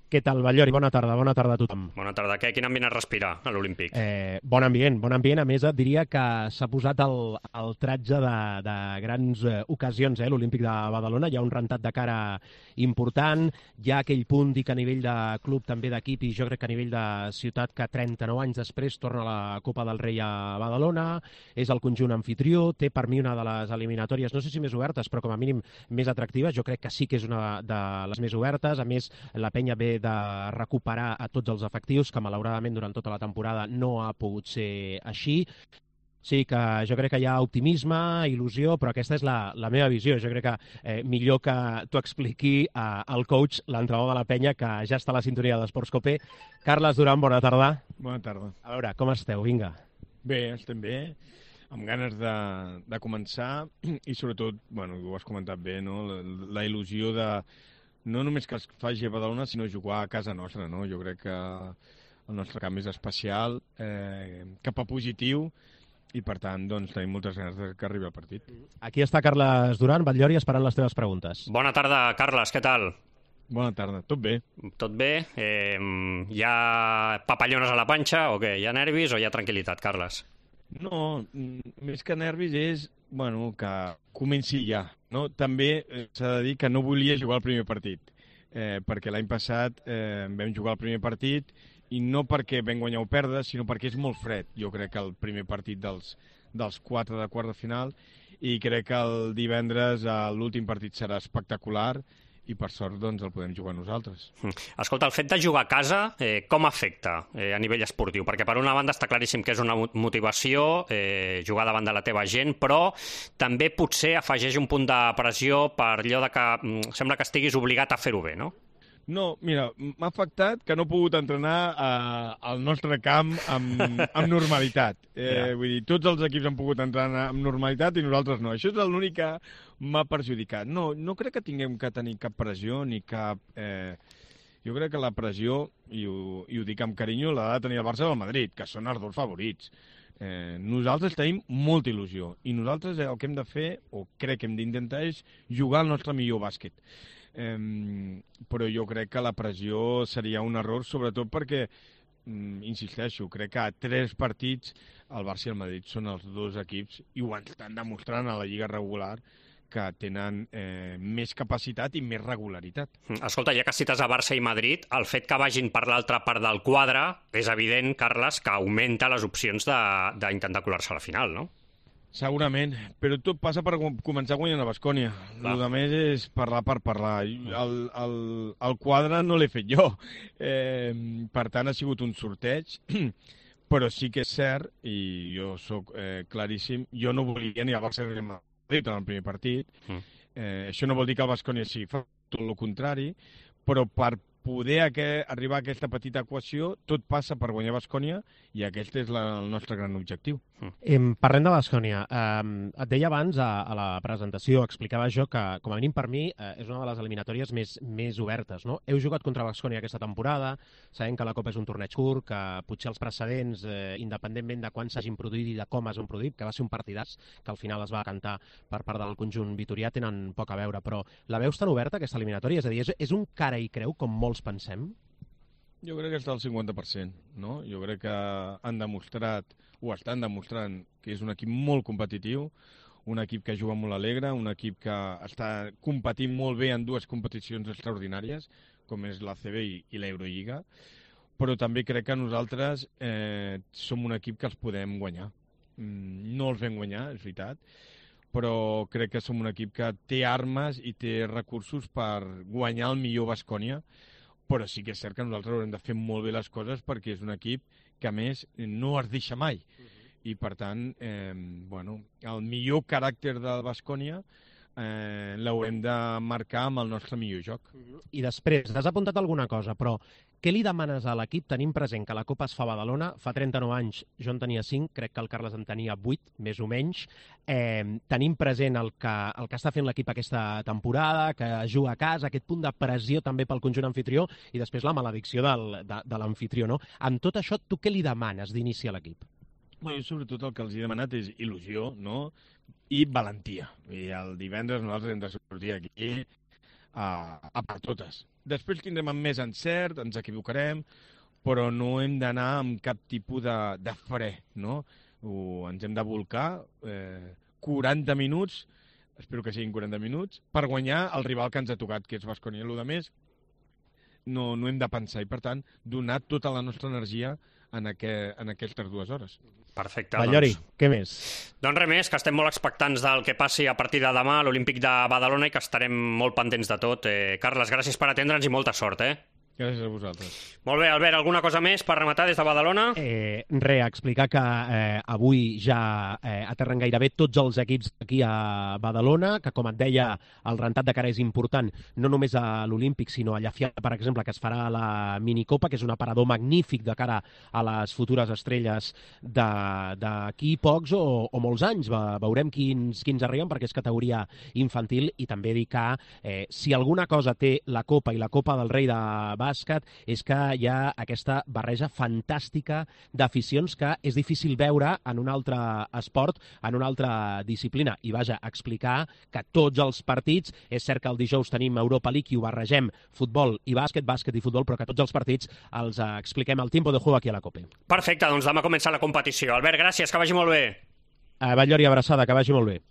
Què tal, Batllori? Bona tarda a tothom. Bona tarda. Quin ambient es respira a l'Olímpic? Bon ambient. A més, et diria que s'ha posat el tratge de grans ocasions, l'Olímpic de Badalona. Hi ha un rentat de cara important. Hi ha aquell punt, dic, a nivell de club, també d'equip, i jo crec que a nivell de ciutat, que 39 anys després torna la Copa del Rei a Badalona. És el conjunt anfitrió. Té per mi una de les eliminatòries, no sé si més obertes, però com a mínim més atractives. Jo crec que sí que és una de les més obertes. A més, la penya ve de recuperar a tots els efectius, que malauradament durant tota la temporada no ha pogut ser així. Sí, que jo crec que hi ha optimisme, il·lusió, però aquesta és la meva visió. Jo crec que millor que t'ho expliqui el coach, l'entrenador de la penya, que ja està a la sintonia d'Esports Copé. Carles Duran, bona tarda. Bona tarda. A veure, com esteu? Vinga. Bé, estem bé, amb ganes de començar i sobretot, bueno, ho has comentat bé, no? La il·lusió de no només que es faci a Badalona, sinó jugar a casa nostra, no? Jo crec que el nostre camp és especial, cap a positiu, i per tant, doncs, tenim moltes ganes que arribi el partit. Aquí està Carles Duran, Batllori, esperant les teves preguntes. Bona tarda, Carles, què tal? Bona tarda, tot bé. Tot bé? Hi ha papallones a la panxa o què? Hi ha nervis o hi ha tranquil·litat, Carles? No, més que nervis és, bueno, que comenci ja, no? També s'ha de dir que no volia jugar el primer partit, perquè l'any passat vam jugar el primer partit i no perquè vam guanyar o perdre, sinó perquè és molt fred. Jo crec que el primer partit dels 4 de quart de final, i crec que el divendres l'últim partit serà espectacular, i per sort doncs el podem jugar nosaltres. Escolta, el fet de jugar a casa com afecta a nivell esportiu? Perquè per una banda està claríssim que és una motivació jugar davant de la teva gent, però també potser afegeix un punt de pressió per allò de que sembla que estiguis obligat a fer-ho bé, no? No, mira, m'ha afectat que no he pogut entrenar al nostre camp amb normalitat. Vull dir, tots els equips han pogut entrenar amb normalitat i nosaltres no. Això és l'únic que m'ha perjudicat. No crec que tinguem que tenir cap pressió ni cap... Jo crec que la pressió, i ho dic amb carinyo, l'ha de tenir el Barça o el Madrid, que són els dos favorits. Nosaltres tenim molta il·lusió i nosaltres el que hem de fer, o crec que hem d'intentar, és jugar el nostre millor bàsquet. Però jo crec que la pressió seria un error, sobretot perquè, insisteixo, crec que a 3 partits el Barça i el Madrid són els dos equips, i ho estan demostrant a la lliga regular, que tenen més capacitat i més regularitat. Escolta, ja que cites a Barça i Madrid, el fet que vagin per l'altra part del quadre és evident, Carles, que augmenta les opcions d'intentar colar-se a la final, no? Segurament, però tot passa per començar guanyant a Baskonia. El que més és parlar per parlar. El quadre no l'he fet jo. Per tant, ha sigut un sorteig, però sí que és cert, i jo sóc claríssim, jo no volia ni el Barça ni el Madrid en el primer partit. Això no vol dir que el Baskonia sigui tot el contrari, però per poder arribar a aquesta petita equació, tot passa per guanyar Baskonia, i aquest és el nostre gran objectiu. Parlem de Baskonia. Et deia abans, a la presentació, explicava jo que, com a mínim per mi, és una de les eliminatòries més obertes, no? Heu jugat contra Baskonia aquesta temporada, sabem que la Copa és un torneig curt, que potser els precedents, independentment de quan s'hagin produït i de com es van produir, que va ser un partidàs, que al final es va cantar per part del conjunt vitorià, tenen poc a veure, però la veus tan oberta, aquesta eliminatòria? És a dir, és un cara i creu, com molts pensem? Jo crec que està al 50%, no? Jo crec que han demostrat, o estan demostrant, que és un equip molt competitiu, un equip que juga molt alegre, un equip que està competint molt bé en 2 competicions extraordinàries, com és l'ACB i l'Eurolliga, però també crec que nosaltres som un equip que els podem guanyar. No els vam guanyar, és veritat, però crec que som un equip que té armes i té recursos per guanyar el millor Baskonia, però sí que és cert que nosaltres haurem de fer molt bé les coses, perquè és un equip que, a més, no es deixa mai. I, per tant, el millor caràcter del Baskonia l'haurem de marcar amb el nostre millor joc. I després, has apuntat alguna cosa, però què li demanes a l'equip tenint present que la Copa es fa a Badalona? Fa 39 anys jo en tenia 5, crec que el Carles en tenia 8, més o menys. Tenim present el que està fent l'equip aquesta temporada, que juga a casa, aquest punt de pressió també pel conjunt anfitrió, i després la maledicció de l'anfitrió, no? Amb tot això, tu què li demanes d'inici a l'equip? Jo sobretot el que els he demanat és il·lusió, no? I valentia. I el divendres nosaltres hem de sortir aquí a per totes. Després tindrem més encert, ens equivocarem, però no hem d'anar amb cap tipus de fre, no? Ens hem de volcar 40 minuts, espero que siguin 40 minuts, per guanyar el rival que ens ha tocat, que és Baskonia. El més no hem de pensar i, per tant, donar tota la nostra energia en aquestes 2 hores. Perfecte. Ballori, què més? Doncs res més, que estem molt expectants del que passi a partir de demà a l'Olímpic de Badalona i que estarem molt pendents de tot. Carles, gràcies per atendre'ns i molta sort, Gràcies a vosaltres. Molt bé, Albert, alguna cosa més per rematar des de Badalona? Explicar que avui ja aterren gairebé tots els equips aquí a Badalona, que com et deia, el rentat de cara és important, no només a l'Olímpic, sinó a Llafià, per exemple, que es farà la minicopa, que és un aparador magnífic de cara a les futures estrelles d'aquí pocs o molts anys. Veurem quins arriben, perquè és categoria infantil, i també dir que si alguna cosa té la Copa i la Copa del Rei de bàsquet és que hi ha aquesta barreja fantàstica d'aficions que és difícil veure en un altre esport, en una altra disciplina. I vaja, explicar que tots els partits, és cert que el dijous tenim Europa League i ho barregem futbol i bàsquet, bàsquet i futbol, però que tots els partits els expliquem al tiempo de juego aquí a la COPE. Perfecte, doncs demà comença la competició. Albert, gràcies, que vagi molt bé. Ballori, abraçada, que vagi molt bé.